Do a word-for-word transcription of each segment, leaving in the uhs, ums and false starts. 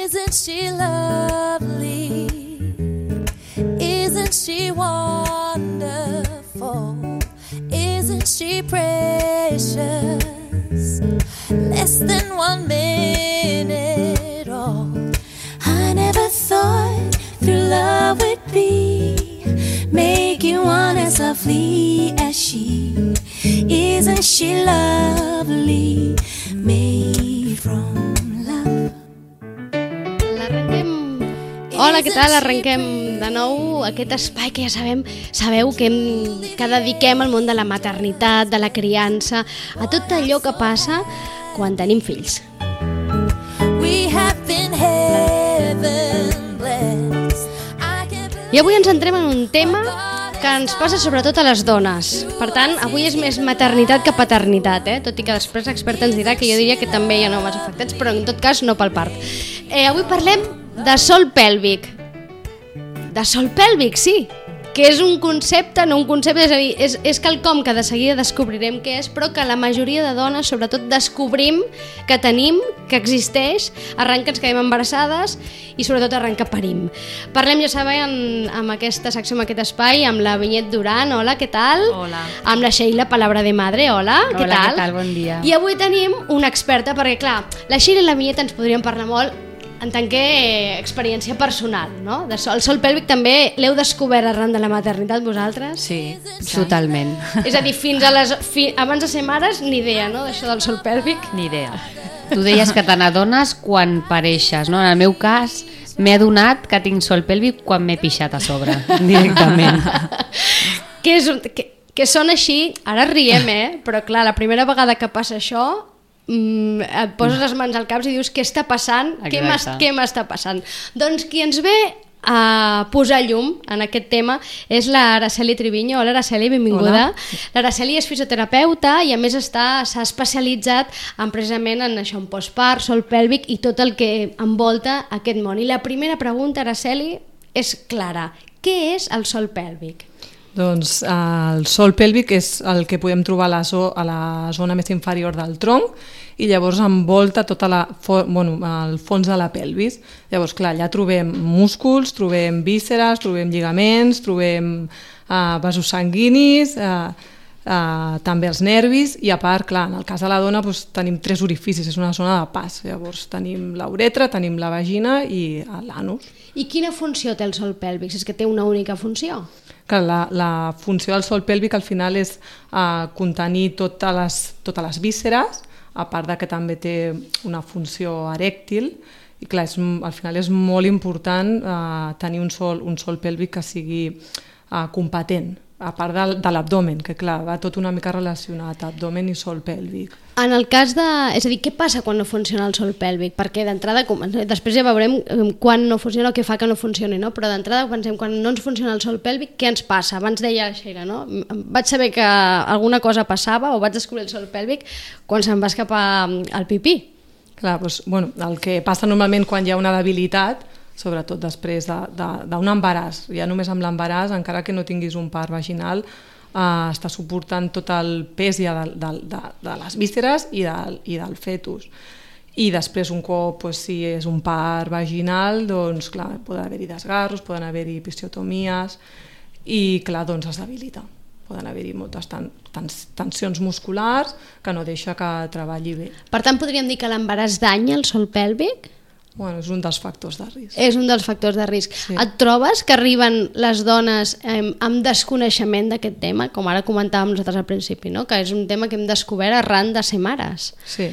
Isn't she lovely? Isn't she wonderful? Isn't she precious? Less than one minute old. I never thought through love would be making one as lovely as she. Isn't she lovely? Made from love. L'arrenquem... Hola, què tal? Arrenquem de nou aquest espai que ja sabem, sabeu que, hem, que dediquem al món de la maternitat, de la criança, a tot allò que passa quan tenim fills. We have been heaven blessed. I avui ens entrem en un tema que ens passa sobretot a les dones. Per tant, avui és més maternitat que paternitat, eh? Tot i que després l'expert ens dirà que jo diria que també hi ha homes afectats, però en tot cas no pel part. Eh, avui parlem de sòl pèlvic. De sòl pèlvic, sí, que és un concepte, no un concepte, és a dir, és, és quelcom que de seguida descobrirem què és, però que la majoria de dones, sobretot, descobrim que tenim, que existeix, arran que ens quedem embarassades i sobretot arran que parim. Parlem, ja sabem, amb aquesta secció, amb aquest espai, amb la Vinyet Duran, hola, què tal? Hola. Amb la Sheila Palabra de Madre, hola, Hola, què tal? què tal? Bon dia. I avui tenim una experta, perquè clar, la Sheila i la Vinyet ens podrien parlar molt en tant que experiència personal, no? De sol, el sòl pèlvic també l'heu descobert arran de la maternitat vosaltres? Sí, totalment. És a dir, fins a les, fi, abans de ser mares, ni idea, no?, d'això del sòl pèlvic? Ni idea. Tu deies que te n'adones quan pareixes, no? En el meu cas, m'he adonat que tinc sòl pèlvic quan m'he pixat a sobre, directament. que, és, que, que són així, ara riem, eh? Però clar, la primera vegada que passa això, Mm, et poses les mans al cap i dius què està passant, què m'està, què m'està passant. Doncs qui ens ve a posar llum en aquest tema és la Araceli Triviño. Hola Araceli, benvinguda. L'Araceli és fisioterapeuta i a més està s'ha especialitzat en, precisament en això, en postpart, sòl pèlvic i tot el que envolta aquest món. I la primera pregunta, Araceli, és clara. Què és el sòl pèlvic? Doncs el sòl pèlvic és el que podem trobar a la, zo a la zona més inferior del tronc i llavors envolta tot bueno, el fons de la pelvis. Llavors, clar, allà trobem músculs, trobem vísceres, trobem lligaments, trobem uh, vasos sanguinis, uh, uh, també els nervis i a part, clar, en el cas de la dona doncs, tenim tres orificis, és una zona de pas. Llavors tenim la uretra, tenim la vagina i l'anus. I quina funció té el sòl pèlvic? Si és que té una única funció? Que la, la funció del sòl pèlvic al final és uh, contenir totes les, totes les vísceres, a part de que també té una funció erèctil, i clar, és, al final és molt important uh, tenir un sòl, un sòl pèlvic que sigui uh, competent, a part de, de l'abdomen, que clar, va tot una mica relacionat, abdomen i sòl pèlvic. En el cas de... És a dir, què passa quan no funciona el sòl pèlvic? Perquè d'entrada, després ja veurem quan no funciona o què fa que no funcioni, no? Però d'entrada pensem, quan no ens funciona el sòl pèlvic, què ens passa? Abans deia la Sheila, no? Vaig saber que alguna cosa passava o vaig descobrir el sòl pèlvic quan se'm va escapar el pipí. Clar, doncs, bueno, el que passa normalment quan hi ha una debilitat, sobretot després d'un de, de, embaràs, ja només amb l'embaràs, encara que no tinguis un part vaginal, eh, està suportant tot el pes ja de, de, de, de les vísceres i del, i del fetus. I després un cop, doncs, si és un part vaginal, doncs clar, poden haver-hi desgarros, poden haver-hi episiotomies i clar, doncs es debilita. Poden haver-hi moltes ten, tens, tensions musculars que no deixa que treballi bé. Per tant, podríem dir que l'embaràs danya el sòl pèlvic? Bueno, és un dels factors de risc. És un dels factors de risc. Sí. Et trobes que arriben les dones eh, amb desconeixement d'aquest tema, com ara comentàvem nosaltres al principi, no? Que és un tema que hem descobert arran de ser mares. Sí,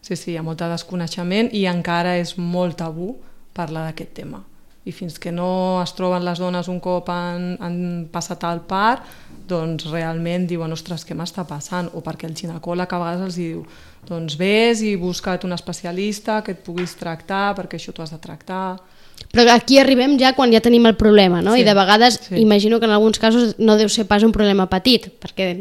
sí, sí, hi ha molt de desconeixement i encara és molt tabú parlar d'aquest tema. I fins que no es troben les dones un cop han, han passat el part, doncs realment diuen, ostres, què m'està passant? O perquè el ginecòleg a vegades els diu, doncs vés i busca't un especialista que et puguis tractar, perquè això t'ho has de tractar. Però aquí arribem ja quan ja tenim el problema, no? Sí, i de vegades, sí. Imagino que en alguns casos no deu ser pas un problema petit, perquè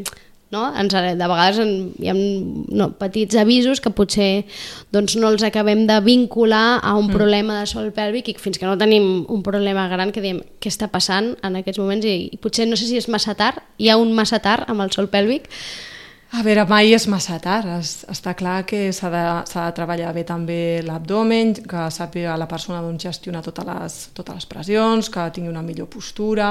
no? Ens, de vegades hi ha no, petits avisos que potser doncs, no els acabem de vincular a un mm. problema de sòl pèlvic i fins que no tenim un problema gran que diem què està passant en aquests moments i, i potser no sé si és massa tard, hi ha un massa tard amb el sòl pèlvic. A veure, mai és massa tard. Es, està clar que s'ha de, s'ha de treballar bé també l'abdomen, que sàpiga la persona doncs, gestionar totes les, totes les pressions, que tingui una millor postura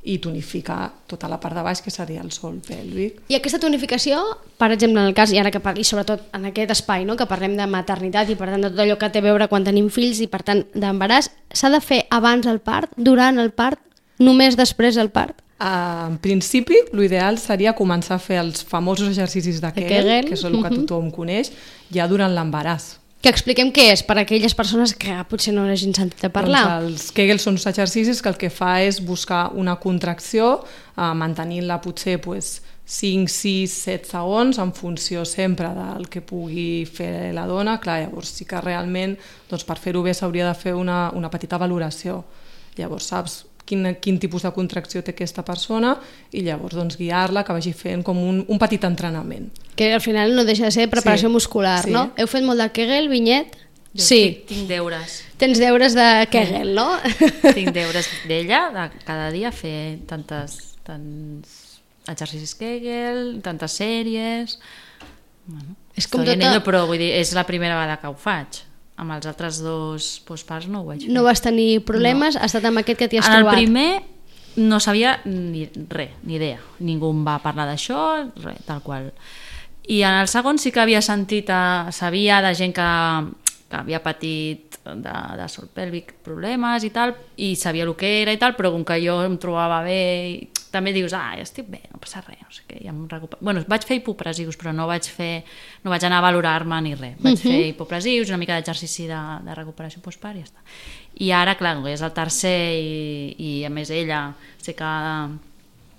i tonificar tota la part de baix, que seria el sòl pèlvic. I aquesta tonificació, per exemple, en el cas, i ara que parli sobretot en aquest espai, no? Que parlem de maternitat i per tant de tot allò que té a veure quan tenim fills i per tant d'embaràs, s'ha de fer abans el part, durant el part, només després del part? Uh, en principi, l'ideal seria començar a fer els famosos exercicis de Kegel, Kegel. que és el que tothom coneix, ja durant l'embaràs. Que expliquem què és per a aquelles persones que potser no hagin sentit a parlar. Doncs els Kegel són uns exercicis que el que fa és buscar una contracció, uh, mantenint-la potser pues, cinc, sis, set segons en funció sempre del que pugui fer la dona. Clar, llavors sí que realment doncs, per fer-ho bé s'hauria de fer una, una petita valoració. Llavors saps Quin, quin tipus de contracció té aquesta persona i llavors doncs, guiar-la que vagi fent com un, un petit entrenament. Que al final no deixa de ser preparació sí, muscular, sí. no? Heu fet molt de Kegel, Vinyet? Jo sí. Tinc, tinc deures. Tens deures de Kegel, no? Tinc deures d'ella, de cada dia fer tantes, tants exercicis Kegel, tantes sèries... Bueno, és com tota... tota... Ello, però vull dir, és la primera vegada que ho faig. Amb els altres dos postparts no ho vaig fer. No vas tenir problemes? No. Ha estat amb aquest que t'hi has en trobat? En el primer no sabia ni res, ni idea. Ningú em va parlar d'això, res, tal qual. I en el segon sí que havia sentit, a, sabia de gent que, que havia patit de, de sol pèlvic problemes i tal, i sabia el que era i tal, però com que jo em trobava bé, i també dius, ah, ja estic bé, no passa res, no sé què, ja em recupero. Bueno, vaig fer hipopressius, però no vaig fer, no vaig anar a valorar-me ni res. Vaig uh-huh. fer hipopressius, una mica d'exercici de, de recuperació postpart i ja està. I ara, clar, és el tercer i, i a més ella sé que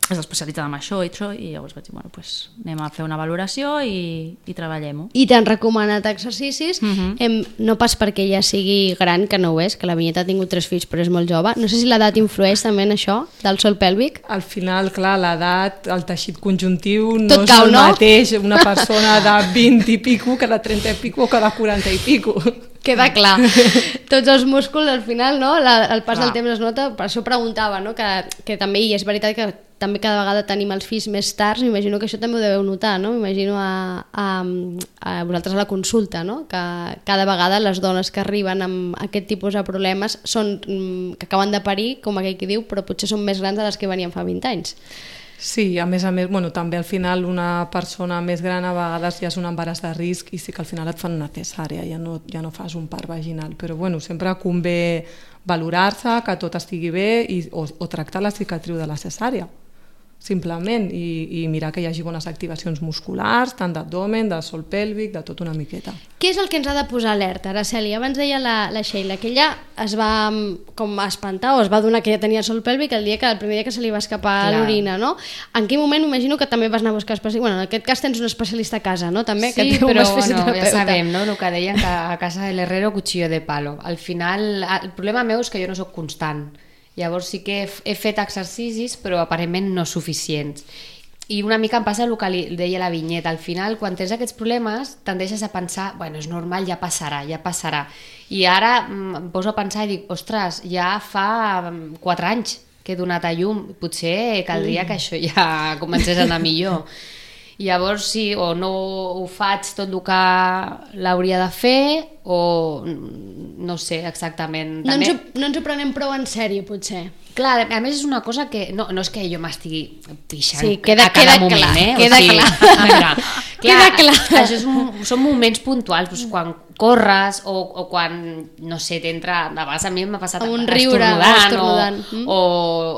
és especialitzada en això i això, i llavors vaig dir, bueno, pues anem a fer una valoració i, i treballem-ho. I t'han recomanat exercicis, uh-huh. em, no pas perquè ja sigui gran, que no ho és, que la Vinyeta ha tingut tres fills però és molt jove. No sé si l'edat influeix també en això, del sòl pèlvic? Al final, clar, l'edat, el teixit conjuntiu no Tot és cau, el no? mateix una persona de vint i pico que de trenta i pico o que de quaranta i pico. Queda clar. Tots els músculs, al final, no? La, el pas clar. del temps es nota, per això preguntava, no? que, que també, i és veritat que també cada vegada tenim els fills més tards, m'imagino que això també ho deveu notar, no? M'imagino a, a, a vosaltres a la consulta, no? Que cada vegada les dones que arriben amb aquest tipus de problemes són, que acaben de parir, com aquell que diu, però potser són més grans de les que venien fa vint anys. Sí, a més a més, bueno, també al final una persona més gran a vegades ja és un embaràs de risc i sí que al final et fan una cesàrea, ja no, ja no fas un part vaginal, però bueno, sempre convé valorar-se, que tot estigui bé i, o, o tractar la cicatriu de la cesàrea, simplement, i, i mirar que hi hagi bones activacions musculars, tant d'abdomen, de sòl pèlvic, de tot una miqueta. Què és el que ens ha de posar alerta, Araceli? Abans deia la, la Sheila que ella es va com espantar o es va donar que ja tenia sòl pèlvic el dia que el primer dia que se li va escapar Clar. l'orina, no? En quin moment imagino que també vas anar a buscar especialista? Bueno, en aquest cas tens un especialista a casa, no? També, Sí, que té un però bueno, fisioterapeuta. ja sabem, no? El que deien que a casa del herrero cuchillo de palo. Al final, el problema meu és que jo no sóc constant. Llavors sí que he, he fet exercicis, però aparentment no suficients. I una mica em passa el que li deia la Vinyeta. Al final, quan tens aquests problemes, tendeixes a pensar, bueno, és normal, ja passarà, ja passarà. I ara em poso a pensar i dic, ostres, ja fa quatre anys que he donat a llum, potser caldria que això ja comencés a anar millor. I llavors sí, o no ho faig tot el que l'hauria de fer, o no sé exactament. No, També... ens ho, no ens ho prenem prou en sèrio, potser. Clar, a més és una cosa que no, no és que jo m'estigui pixant Sí, queda- a cada queda moment, clar, eh? queda o sigui, clar. a veure, clar, Queda clar. Això és un, són moments puntuals, doncs, quan corres o, o quan, no sé, t'entra, de vegades a mi m'ha passat Amb un riure, estornudant, estornudant. o, Mm. o,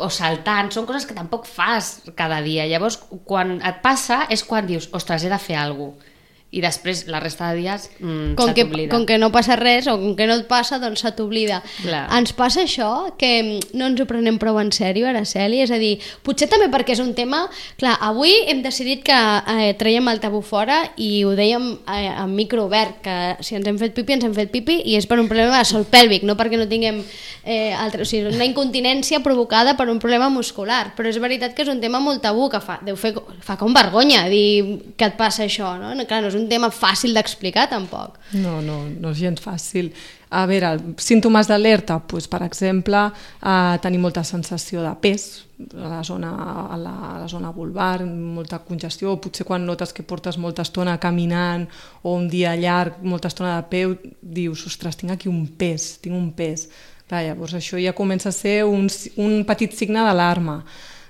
o saltant, són coses que tampoc fas cada dia. Llavors, quan et passa és quan dius, ostres, he de fer alguna cosa. I després, la resta de dies, mm, Com se que, t'oblida. com que no passa res o com que no et passa, doncs se t'oblida. Clar. Ens passa això, que no ens ho prenem prou en sèrio, Araceli? És a dir, potser també perquè és un tema... Clar, avui hem decidit que eh, traiem el tabú fora i ho dèiem eh, en micro obert, que si ens hem fet pipi, ens hem fet pipi i és per un problema de sòl pèlvic, no perquè no tinguem eh, altre, o sigui, una incontinència provocada per un problema muscular. Però és veritat que és un tema molt tabú, que fa, deu fer, fa com vergonya dir que et passa això, no? Clar, no és un tema fàcil d'explicar tampoc. No, no, no és gens fàcil. A veure, símptomes d'alerta, doncs, per exemple, eh, tenir molta sensació de pes a la zona, a la, a la zona vulvar, molta congestió, potser quan notes que portes molta estona caminant o un dia llarg, molta estona de peu, dius, ostres, tinc aquí un pes, tinc un pes. Clar, llavors això ja comença a ser un, un petit signe d'alarma.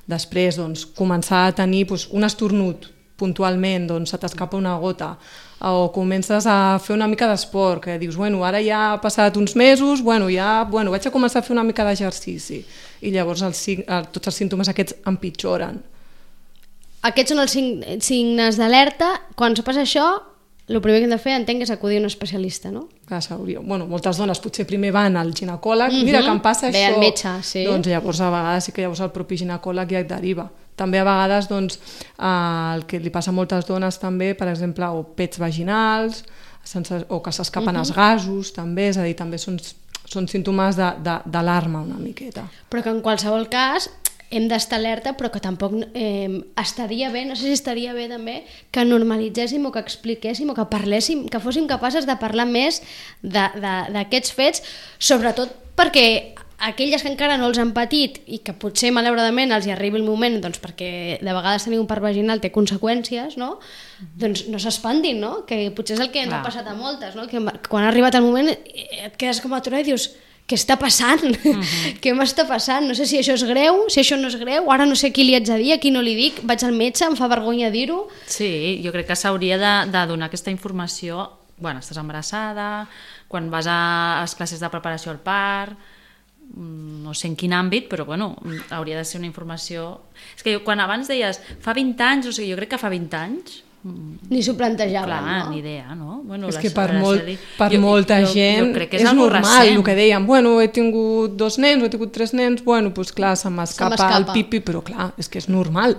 Després, doncs, començar a tenir doncs, un esternut puntualment, doncs se t'escapa una gota, o comences a fer una mica d'esport, que dius, bueno, ara ja ha passat uns mesos, bueno, ja bueno, vaig a començar a fer una mica d'exercici, i llavors els, tots els símptomes aquests empitjoren. Aquests són els signes d'alerta. Quan passa això, el primer que hem de fer, entenc, és acudir a un especialista, no? Clar, bueno, moltes dones potser primer van al ginecòleg, mm-hmm. mira que em passa Ve això, al metge, sí. Doncs llavors a vegades sí que llavors el propi ginecòleg ja et deriva. També a vegades doncs, eh, el que li passa a moltes dones també, per exemple, o pets vaginals, sense, o que s'escapen mm-hmm. els gasos, també, és a dir, també són, són símptomes d'alarma una miqueta. Però que en qualsevol cas hem d'estar alerta, però que tampoc eh, estaria bé, no sé si estaria bé també, que normalitzéssim o que expliquéssim o que parléssim, que fóssim capaces de parlar més d'aquests fets, sobretot perquè aquelles que encara no els han patit i que potser malauradament els hi arribi el moment, doncs perquè de vegades tenir un part vaginal té conseqüències, no? Doncs no s'espantin, no? Que potser és el que ens ha passat a moltes, no? Que quan ha arribat el moment et quedes com aturada i dius, què està passant? Uh-huh. Què m'està passant? No sé si això és greu, si això no és greu, ara no sé qui li haig de dir, a qui no li dic, vaig al metge, em fa vergonya dir-ho. Sí, jo crec que s'hauria de, de donar aquesta informació, bueno, estàs embarassada, quan vas a les classes de preparació al part, no sé en quin àmbit, però bueno, hauria de ser una informació... És que quan abans deies fa vint anys, o sigui, jo crec que fa vint anys... Ni s'ho plantejaven, clar, no? ni idea, no? Bueno, és la, que per, la molt, Celi, per jo, molta jo, gent jo és, és normal recent. El que dèiem, bueno, he tingut dos nens, he tingut tres nens, bueno, doncs clar, se m'escapa el pipi, però clar, és que és normal.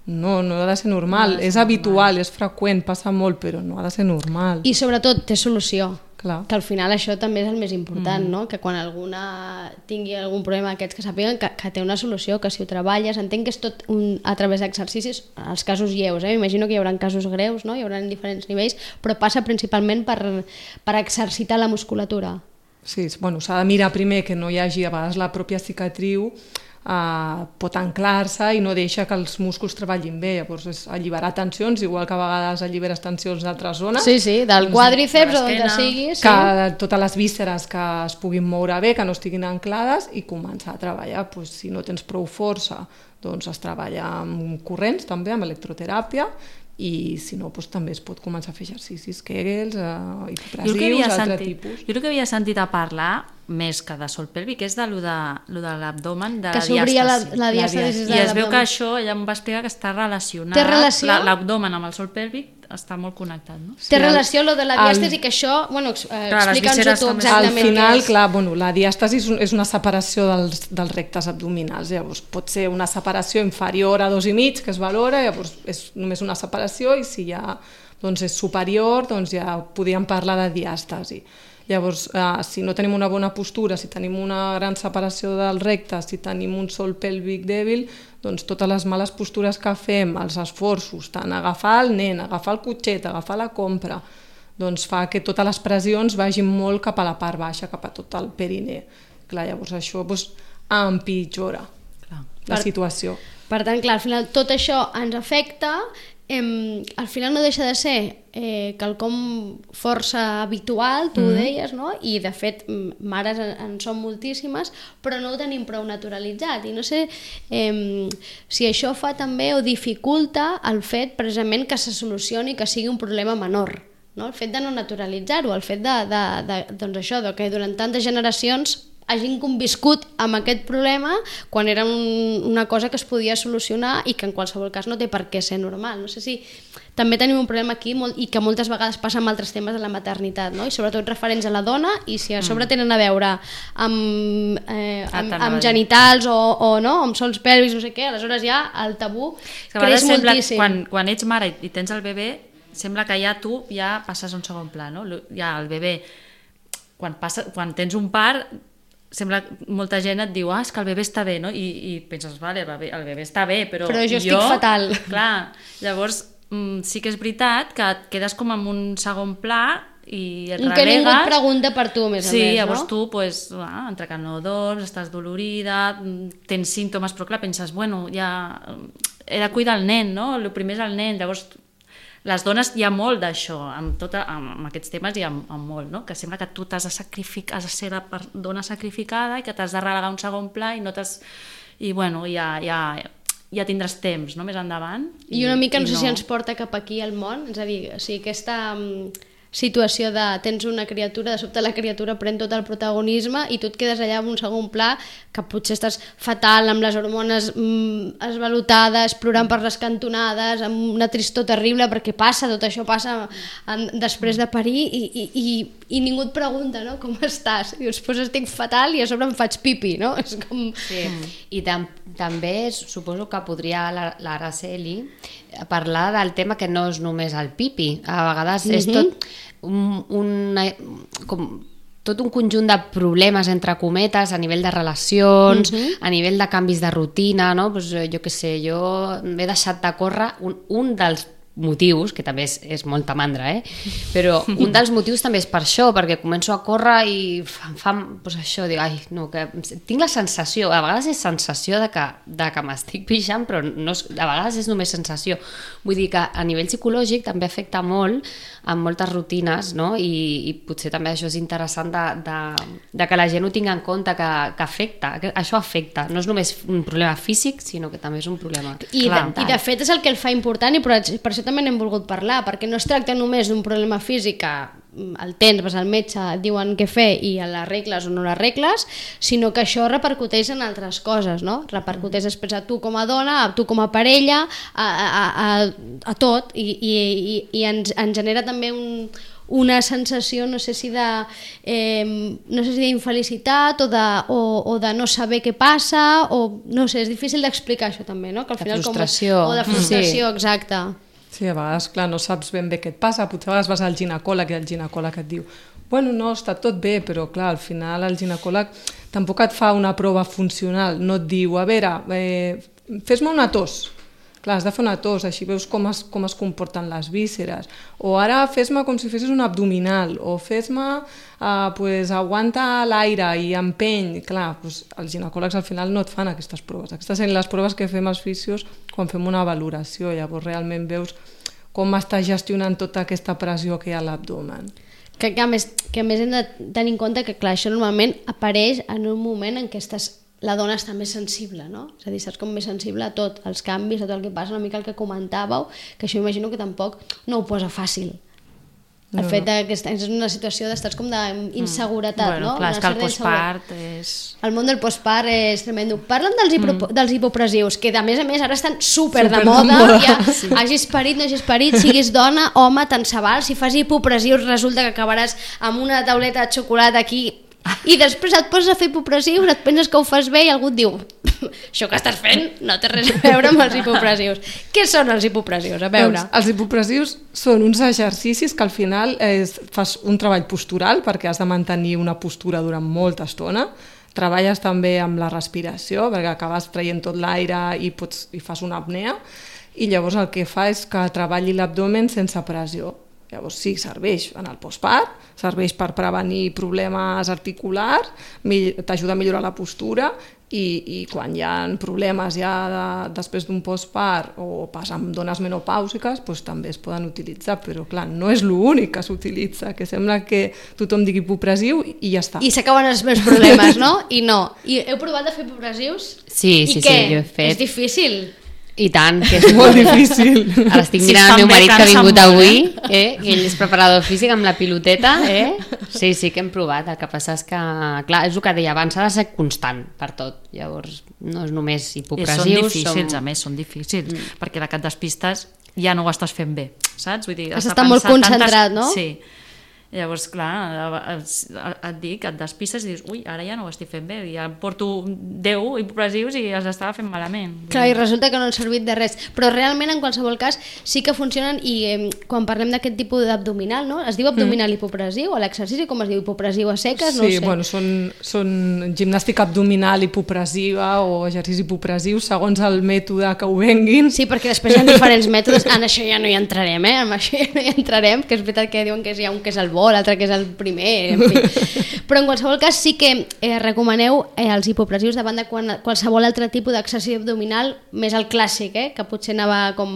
No, no ha de ser normal, no de ser és normal. Habitual, és freqüent, passa molt, però no ha de ser normal. I sobretot té solució. Clar. Que al final això també és el més important, mm. no? Que quan alguna tingui algun problema d'aquests que sàpiguen que, que té una solució, que si ho treballes, entenc que és tot un, a través d'exercicis, els casos lleus, eh? M'imagino que hi haurà casos greus, no? Hi haurà diferents nivells, però passa principalment per, per exercitar la musculatura. Sí, bueno, s'ha de mirar primer que no hi hagi, a vegades la pròpia cicatriu Uh, pot anclar-se i no deixa que els músculs treballin bé, llavors és alliberar tensions, igual que a vegades alliberes tensions d'altres zones. Sí, sí, del doncs, quàdriceps o d'on sigui. Sí. Que totes les vísceres que es puguin moure bé, que no estiguin anclades, i començar a treballar, doncs, si no tens prou força, doncs es treballa amb corrents, també, amb electroteràpia, i si no, doncs, també es pot començar a fer exercicis Kegels, uh, hipopressius, altre tipus. Jo el que havia sentit a parlar més que de sol pèlvic és de lo de, lo de l'abdomen, de que la s'obria diàstasi. La, la diàstasi I es veu que això, ella em va explicar que està relacionat, té relació? l'abdomen amb el sol pèlvic està molt connectat, no? Té sí, relació lo de la diàstasi, el... que això, bueno, eh, explica'ns-ho tu exactament. Al final, clar, bueno, la diàstasi és una separació dels, dels rectes abdominals, llavors pot ser una separació inferior a dos i mig, que es valora, llavors és només una separació, i si ja doncs, és superior, doncs ja podríem parlar de diàstasi. Llavors, eh, si no tenim una bona postura, si tenim una gran separació del recte, si tenim un sol pèlvic dèbil, doncs totes les males postures que fem, els esforços, tant agafar el nen, agafar el cotxet, agafar la compra, doncs fa que totes les pressions vagin molt cap a la part baixa, cap a tot el perineu. Clar, llavors això doncs, empitjora clar, la per, situació. Per tant, clar, al final tot això ens afecta. Eh, al final no deixa de ser eh, quelcom força habitual, tu mm-hmm. ho deies, no? I de fet mares en, en són moltíssimes, però no ho tenim prou naturalitzat, i no sé eh, si això fa també o dificulta el fet precisament que se solucioni, que sigui un problema menor, no? El fet de no naturalitzar-ho, el fet de, de, de, doncs això, de que durant tantes generacions hagin conviscut amb aquest problema quan era un, una cosa que es podia solucionar i que en qualsevol cas no té per què ser normal. No sé si també tenim un problema aquí molt, i que moltes vegades passa amb altres temes de la maternitat, no? I sobretot referents a la dona, i si a sobre tenen a veure amb, eh, amb, amb genitals o, o no, amb sols pèlvics, no sé què, aleshores ja el tabú creix moltíssim. Quan, quan ets mare i tens el bebè, sembla que ja tu ja passes a un segon pla, no? Ja el bebè, quan, passa, quan tens un part, sembla molta gent et diu, ah, és que el bebè està bé, no? I, i penses, vale, el bebè, el bebè està bé, però, però jo estic jo, fatal. Clar, llavors mm, sí que és veritat que et quedes com en un segon pla i et Que relegues. ningú et pregunta per tu, a més a sí, més, no? llavors tu, pues, ah, entre que no dorms, estàs dolorida, tens símptomes, però clar, penses, bueno, ja he de cuidar el nen, no? El primer és el nen, llavors les dones hi ha molt d'això, amb, tota, amb, amb aquests temes hi ha, amb molt, no? Que sembla que tu t'has de sacrificar, has de ser la dona sacrificada i que t'has de relegar un segon pla i no t'has... I bueno, ja, ja, ja tindràs temps, no?, més endavant. I, I una mica no sé no. si ens porta cap aquí al món, és a dir, o sigui, aquesta um, situació de tens una criatura, de sobte la criatura pren tot el protagonisme i tu et quedes allà en un segon pla que potser estàs fatal, amb les hormones mm, esvalotades, plorant per les cantonades, amb una tristor terrible, perquè passa, tot això passa en, després de parir i, i, i, i ningú et pregunta, no?, com estàs. I després estic fatal i a sobre em faig pipi, no? És com... Sí. I tam també suposo que podria l'Araceli parlar del tema que no és només el pipi. A vegades mm-hmm. és tot un, una, com, tot un conjunt de problemes, entre cometes, a nivell de relacions, mm-hmm. a nivell de canvis de rutina, no? Pues, jo què sé, jo m'he deixat de córrer, un, un dels motius, que també és, és molta mandra, eh? Però un dels motius també és per això, perquè començo a córrer i em fa, doncs això, dic, ai, no, que tinc la sensació, a vegades és sensació de que, de que m'estic pixant, però no és, a vegades és només sensació. Vull dir que a nivell psicològic també afecta molt en moltes rutines, no? I, i potser també això és interessant de, de, de que la gent ho tingui en compte, que, que afecta, que això afecta, no és només un problema físic, sinó que també és un problema I, mental. de, I de fet és el que el fa important i per, per això també n'hem volgut parlar, perquè no es tracta només d'un problema físic que el tens, vas al metge, et diuen què fer i l'arregles o no l'arregles, sinó que això repercuteix en altres coses, no? Repercuteix després a tu com a dona, a tu com a parella, a, a, a, a tot, i, i, i, i ens, ens genera també un, una sensació, no sé si de eh, no sé si d'infelicitat o, de, o, o de no saber què passa, o no sé, és difícil d'explicar això també, no? Que al final de frustració. Com, o de frustració, sí. exacte. Sí, a vegades, clar, no saps ben bé què et passa, potser a vegades vas al ginecòleg i el ginecòleg et diu bueno, no, està tot bé, però clar, al final el ginecòleg tampoc et fa una prova funcional, no et diu, a veure, eh, fes-me una tos. Clar, has de fer una tos, així veus com es, com es comporten les vísceres. O ara fes-me com si fessis un abdominal, o fes-me, eh, pues, aguanta l'aire i empeny. Clar, pues, els ginecòlegs al final no et fan aquestes proves. Aquestes són les proves que fem els fisios quan fem una valoració. Llavors realment veus com estàs gestionant tota aquesta pressió que hi ha a l'abdomen. Que, que, a més, que a més hem de tenir en compte que clar, això normalment apareix en un moment en què estàs la dona està més sensible, no? És a dir, estàs com més sensible a tot, als canvis, a tot el que passa, una mica el que comentàveu, que això imagino que tampoc no ho posa fàcil. El no, fet que estàs en una situació d'estar com d'inseguretat, bueno, no? Clar, una és que el postpart és... El món del postpart és tremendo. Parlen dels, hipo... mm. dels hipopressius, que a més a més ara estan super, super de moda, de moda. Ja, sí. Hagis parit, no hagis parit, siguis dona, home, tant se val. Si fas hipopressius resulta que acabaràs amb una tauleta de xocolata aquí i després et poses a fer hipopressius, et penses que ho fas bé i algú et diu això que estàs fent no té res a veure amb els hipopressius. Què són els hipopressius? A veure. Doncs, els hipopressius són uns exercicis que al final és, fas un treball postural perquè has de mantenir una postura durant molta estona. Treballes també amb la respiració perquè acabes traient tot l'aire i, pots, i fas una apnea i llavors el que fa és que treballi l'abdomen sense pressió. Llavors sí, serveix en el postpart, serveix per prevenir problemes articulars, t'ajuda a millorar la postura i, i quan hi ha problemes ja de, després d'un postpart o pas amb dones menopàusiques doncs també es poden utilitzar, però clar, no és l'únic que s'utilitza, que sembla que tothom digui hipopressiu i ja està. I s'acaben els meus problemes, no? I no. I heu provat de fer hipopressius? Sí, sí, I què? sí, jo he fet. És difícil? I tant, que és molt difícil. Ara estic Si mirant el meu marit que ha vingut molt, avui, eh? Que ell és preparador físic amb la piloteta, eh? Sí, sí que hem provat, el que passa és que, clar, és el que deia abans, s'ha de ser constant per tot, llavors no és només hipopressius. I són difícils, som... a més, són difícils, mm. perquè la que et despistes ja no ho estàs fent bé, saps? Vull dir, has d'estar molt concentrat, tantes... no? Sí. Llavors, clar, et dic, et despistes i dius, ui, ara ja no ho estic fent bé, ja porto deu hipopressius i els estava fent malament. Clar, i resulta que no han servit de res. Però realment, en qualsevol cas, sí que funcionen i eh, quan parlem d'aquest tipus d'abdominal, no? Es diu abdominal mm. hipopressiu o l'exercici, com es diu, hipopressiu a seques? No sí, ho sé. Bueno, són, són gimnàstica abdominal hipopressiva o exercici hipopressiu, segons el mètode que ho venguin. Sí, perquè després hi ha diferents mètodes, en això ja no hi entrarem, eh? En això ja no hi entrarem, que és veritat que diuen que hi ha un que és el bo, l'altre que és el primer, en fi. Però en qualsevol cas sí que eh, recomaneu eh, els hipopressius davant de quan, qualsevol altre tipus d'exercici abdominal, més el clàssic, eh, que potser anava com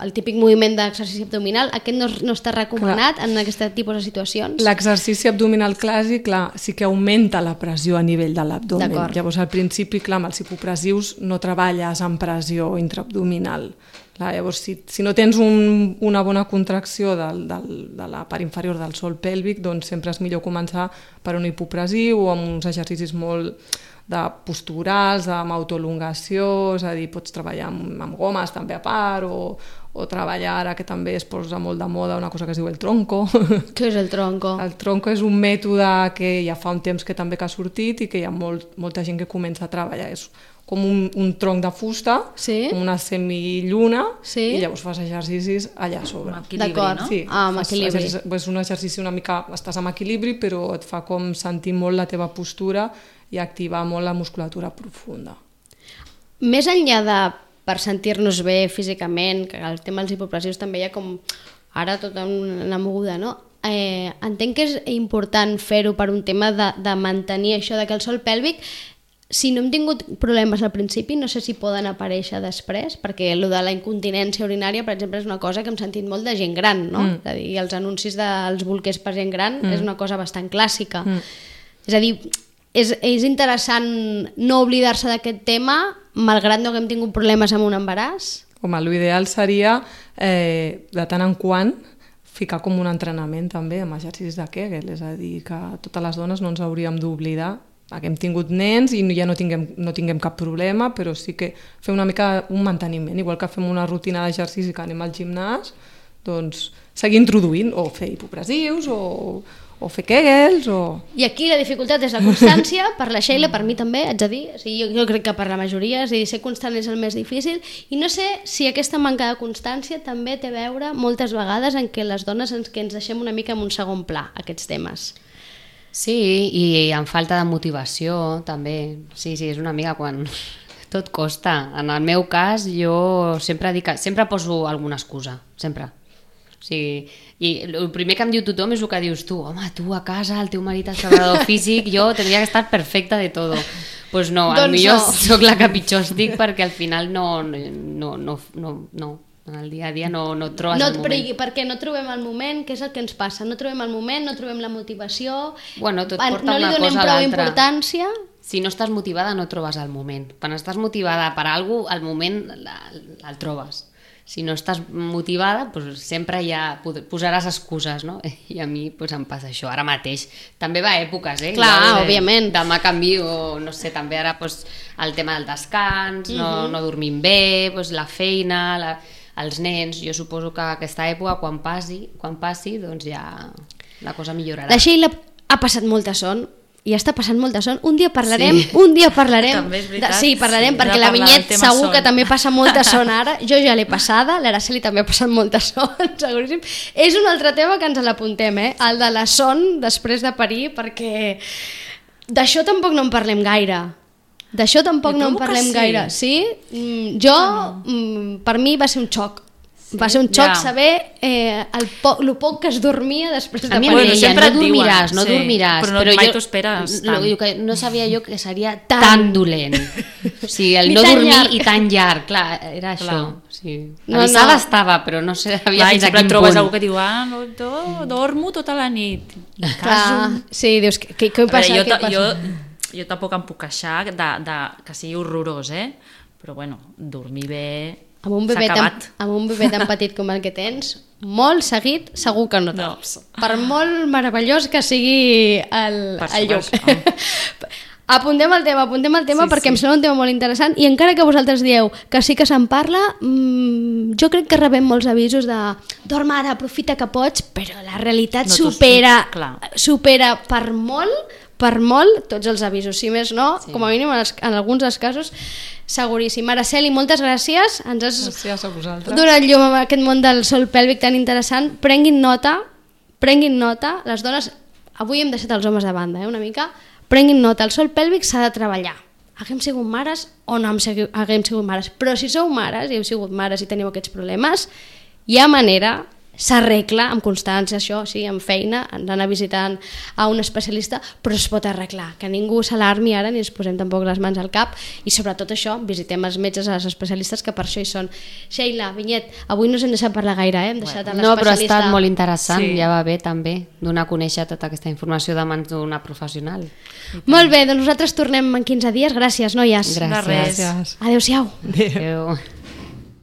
el típic moviment d'exercici abdominal, aquest no, no està recomanat clar. En aquest tipus de situacions. L'exercici abdominal clàssic, clar, sí que augmenta la pressió a nivell de l'abdomen. Llavors al principi, clar, amb els hipopressius no treballes amb pressió intraabdominal. Clar, llavors, si, si no tens un, una bona contracció del, del, de la part inferior del sòl pèlvic, doncs sempre és millor començar per un hipopressiu o amb uns exercicis molt de posturals, amb autoelongació, és a dir, pots treballar amb, amb gomes també a part, o, o treballar ara que també es posa molt de moda una cosa que es diu el tronco. Què és el tronco? El tronco és un mètode que ja fa un temps que també que ha sortit i que hi ha molt, molta gent que comença a treballar. És com un, un tronc de fusta, sí? Com una semilluna, sí? I llavors fas exercicis allà a sobre. Amb equilibri, no? Sí, ah, amb equilibri. És un exercici una mica, estàs amb equilibri, però et fa com sentir molt la teva postura i activar molt la musculatura profunda. Més enllà de per sentir-nos bé físicament, que el tema dels hipopressius també hi ha com ara tota una moguda, no? Eh, entenc que és important fer-ho per un tema de, de mantenir això de que el sòl pèlvic, si no hem tingut problemes al principi, no sé si poden aparèixer després, perquè el de la incontinència urinària, per exemple, és una cosa que hem sentit molt de gent gran, no? Mm. És a dir, els anuncis dels bolquers per gent gran mm. és una cosa bastant clàssica. Mm. És a dir, és, és interessant no oblidar-se d'aquest tema, malgrat no haguem tingut problemes amb un embaràs? Home, l'ideal seria, eh, de tant en quant, ficar com un entrenament també amb exercicis de Kegel, és a dir, que totes les dones no ens hauríem d'oblidar que hem tingut nens i ja no tinguem, no tinguem cap problema, però sí que fer una mica un manteniment, igual que fem una rutina d'exercici que anem al gimnàs, doncs seguir introduint, o fer hipopressius, o, o fer Kegels, o... I aquí la dificultat és la constància, per la Sheila, per mi també, haig de dir, o sigui, jo, jo crec que per la majoria, és a dir, ser constant és el més difícil, i no sé si aquesta manca de constància també té a veure moltes vegades en què les dones ens, que ens deixem una mica en un segon pla, aquests temes. Sí, i amb falta de motivació també, sí, sí, és una mica quan tot costa. En el meu cas jo sempre dic, sempre poso alguna excusa, sempre. O sigui, i el primer que em diu tothom és el que dius tu, home, tu a casa, el teu marit és preparador físic, jo tindria que estar perfecta de todo. Pues no, doncs potser no. Soc la que pitjor estic perquè al final no, no, no, no, no. En el dia a dia no, no et trobes no el et moment. Prigui, perquè no trobem el moment, què és el que ens passa? No trobem el moment, no trobem la motivació, bueno, tot porta no li una donem cosa a prou l'altra. importància. Si no estàs motivada no trobes el moment. Quan estàs motivada per a alguna cosa, el moment el trobes. Si no estàs motivada, doncs sempre ja posaràs excuses, no? I a mi doncs, em passa això, ara mateix. També va a èpoques, eh? Clar, de, òbviament. Demà canvio, no sé, també ara doncs, el tema del descans, no, uh-huh. no dormim bé, doncs, la feina, la, els nens, jo suposo que aquesta època, quan passi, quan passi, doncs ja la cosa millorarà. La Sheila ha passat molta son, i està passant molta son. Un dia parlarem, sí. un dia parlarem. També és veritat. De, sí, parlarem, sí, perquè la Vinyet segur son. Que també passa molta son ara. Jo ja l'he passada, l'Araceli també ha passat molta son, seguríssim. És un altre tema que ens l'apuntem, eh? El de la son després de parir, perquè d'això tampoc no en parlem gaire. D'això tampoc no en parlem sí. gaire. Sí? Mm, jo, mm, per mi va ser un xoc. Sí, va ser un xoc ja. saber eh, el, po el poc que es dormia després de a mi parir. Bueno, sempre no dormiràs, no sí, dormiràs. Però, no, però mai jo, t'ho esperes no, tant. no sabia jo que seria tan, tan dolent. O sigui, el no dormir llarg. I tan llarg, clar, era clar. això. Sí. No, avisada no. estava, però no sabia clar, fins a quin punt. Trobes algú que diu, ah, no, do, dormo tota la nit. Clar, sí, dius, què, què passa? Veure, jo, què passa? Jo, jo tampoc em puc queixar de, de, que sigui horrorós, eh? Però bueno, dormir bé... Amb un, bebè tan, amb un bebè tan petit com el que tens, molt seguit segur que no tops. No. Per molt meravellós que sigui el, el lloc. Apuntem el tema, apuntem el tema sí, perquè sí. em sembla un tema molt interessant i encara que vosaltres dieu que sí que se'n parla, mmm, jo crec que rebem molts avisos de dorm ara, aprofita que pots, però la realitat no, supera, supera per molt per molt tots els avisos, si més no, sí. com a mínim en, els, en alguns dels casos seguríssim. Araceli, moltes gràcies, ens has gràcies a vosaltres. Donat llum a aquest món del sòl pèlvic tan interessant. Prenguin nota, prenguin nota, les dones, avui hem deixat els homes de banda, eh, una mica, prenguin nota, el sòl pèlvic s'ha de treballar. Haguem sigut mares o no haguem sigut mares, però si sou mares i heu sigut mares i teniu aquests problemes, hi ha manera s'arregla amb constància, això, sí, amb feina, d'anar visitant a un especialista, però es pot arreglar, que ningú s'alarmi ara ni ens posem tampoc les mans al cap, i sobretot això, visitem els metges, els especialistes, que per això hi són. Sheila, Vinyet, avui no us hem deixat parlar gaire, eh? Hem deixat a No, però ha l'especialista. estat molt interessant, Sí. ja va bé també donar a conèixer tota aquesta informació de mans d'una professional. Molt bé, doncs nosaltres tornem en quinze dies. Gràcies, noies. Gràcies. res. Gràcies. Adéu-siau. Adéu.